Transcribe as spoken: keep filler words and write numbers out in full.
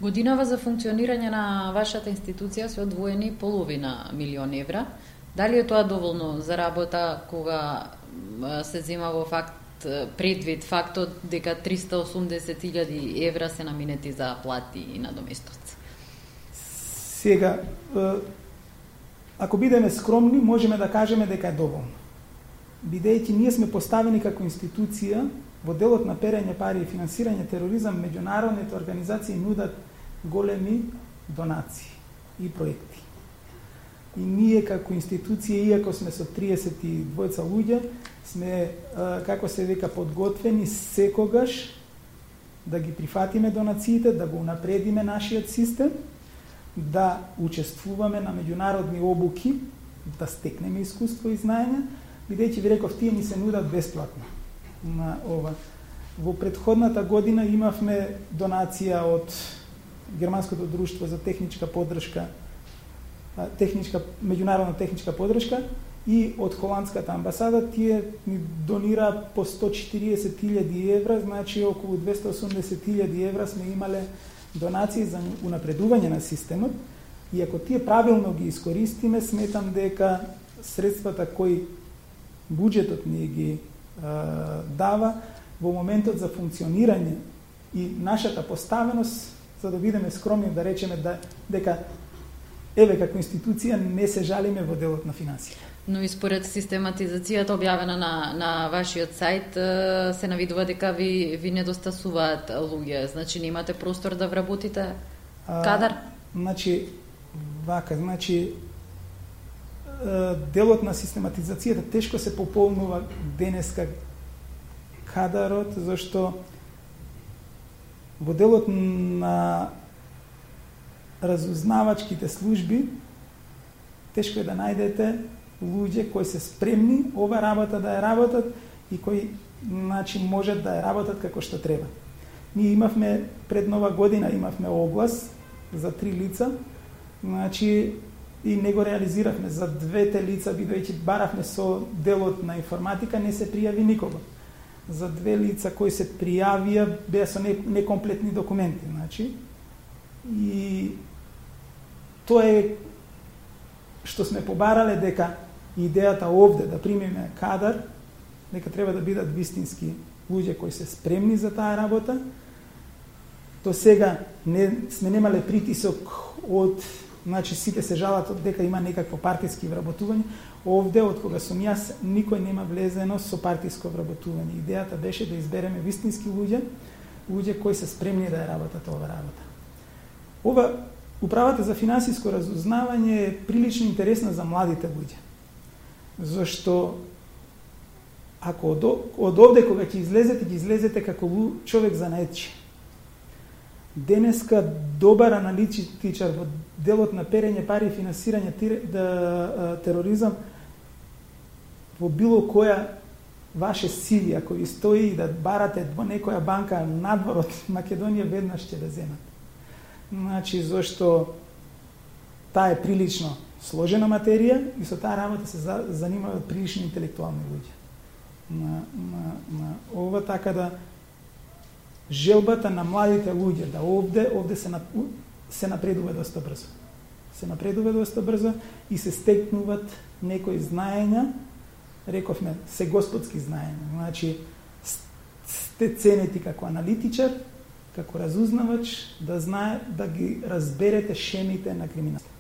Годинава за функционирање на вашата институција се одвоени половина милион евра. Дали е тоа доволно за работа кога се зема во факт предвид фактот дека триста и осумдесет илјади евра се наминети за плати и надоместоци? Сега, ако бидеме скромни, можеме да кажеме дека е доволно. Бидејќи ние сме поставени како институција во делот на перење пари и финансирање тероризам, меѓународните организации нудат големи донации и проекти. И ние како институција, иако сме со триесет и двајца луѓе, сме, како се века, подготвени секогаш да ги прифатиме донациите, да го унапредиме нашиот систем, да учествуваме на меѓународни обуки, да стекнеме искуство и знаење, бидејќи ви реков, тие ни се нудат бесплатно. На ова. Во претходната година имавме донација од Германското друштво за техничка поддршка, техничка, меѓународна техничка поддршка и од Холандската амбасада. Тие ни донира по сто и четириесет илјади евра, значи околу двесте и осумдесет илјади евра сме имале донации за унапредување на системот. И ако тие правилно ги искористиме, сметам дека средствата кои буџетот ни ги е, дава во моментот за функционирање и нашата поставеност, за да бидеме скромни да речеме да, дека еве како институција не се жалиме во делот на финансија. Но и според систематизацијата објавена на, на вашиот сајт се навидува дека ви, ви недостасуваат луѓе, значи не имате простор да вработите кадар? А, значи, вака, значи делот на систематизацијата тешко се пополнува денеска кадарот, зашто во делот на разузнавачките служби тешко е да најдете луѓе кои се спремни ова работа да ја работат и кои, значи, можат да ја работат како што треба. Ние имавме пред нова година имавме оглас за три лица, значи и не го реализиравме за двете лица, бидејќи баравме со делот на информатика, не се пријави никого. За две лица кои се пријавија беа со некомплетни документи, значи. И тоа е што сме побарале, дека идејата овде да примиме кадар, дека треба да бидат вистински луѓе кои се спремни за таа работа. До сега не сме немале притисок од, значи сите се жалат од дека има некакво партиски вработување. Овде, од кога сум јас, никој нема влезено со партиско вработување. Идејата беше да избереме вистински луѓе, луѓе кои се спремни да ја работат ова работа. Ова управата за финансиско разузнавање е прилично интересна за младите луѓе. Зашто ако од, од овде кога ќе излезете, ќе излезете како човек занаетчи. Денеска добар аналитичар во делот на перење пари и финансирање да, тероризам во било која ваше сиви, ако ви стои да барате во некоја банка надвор од Македонија, веднаш ќе да земат. Значи, зашто таа е прилично сложена материја и со таа работа се занимаваат прилично интелектуални луѓе. На, на, на ова, така да желбата на младите луѓе да овде, овде се, се напредува доста брзо. Се напредува доста брзо и се стекнуваат некои знаења, рековме, се господски знаења. Значи, сте ценети како аналитичар, како разузнавач, да знае, да ги разберете шемите на криминалот.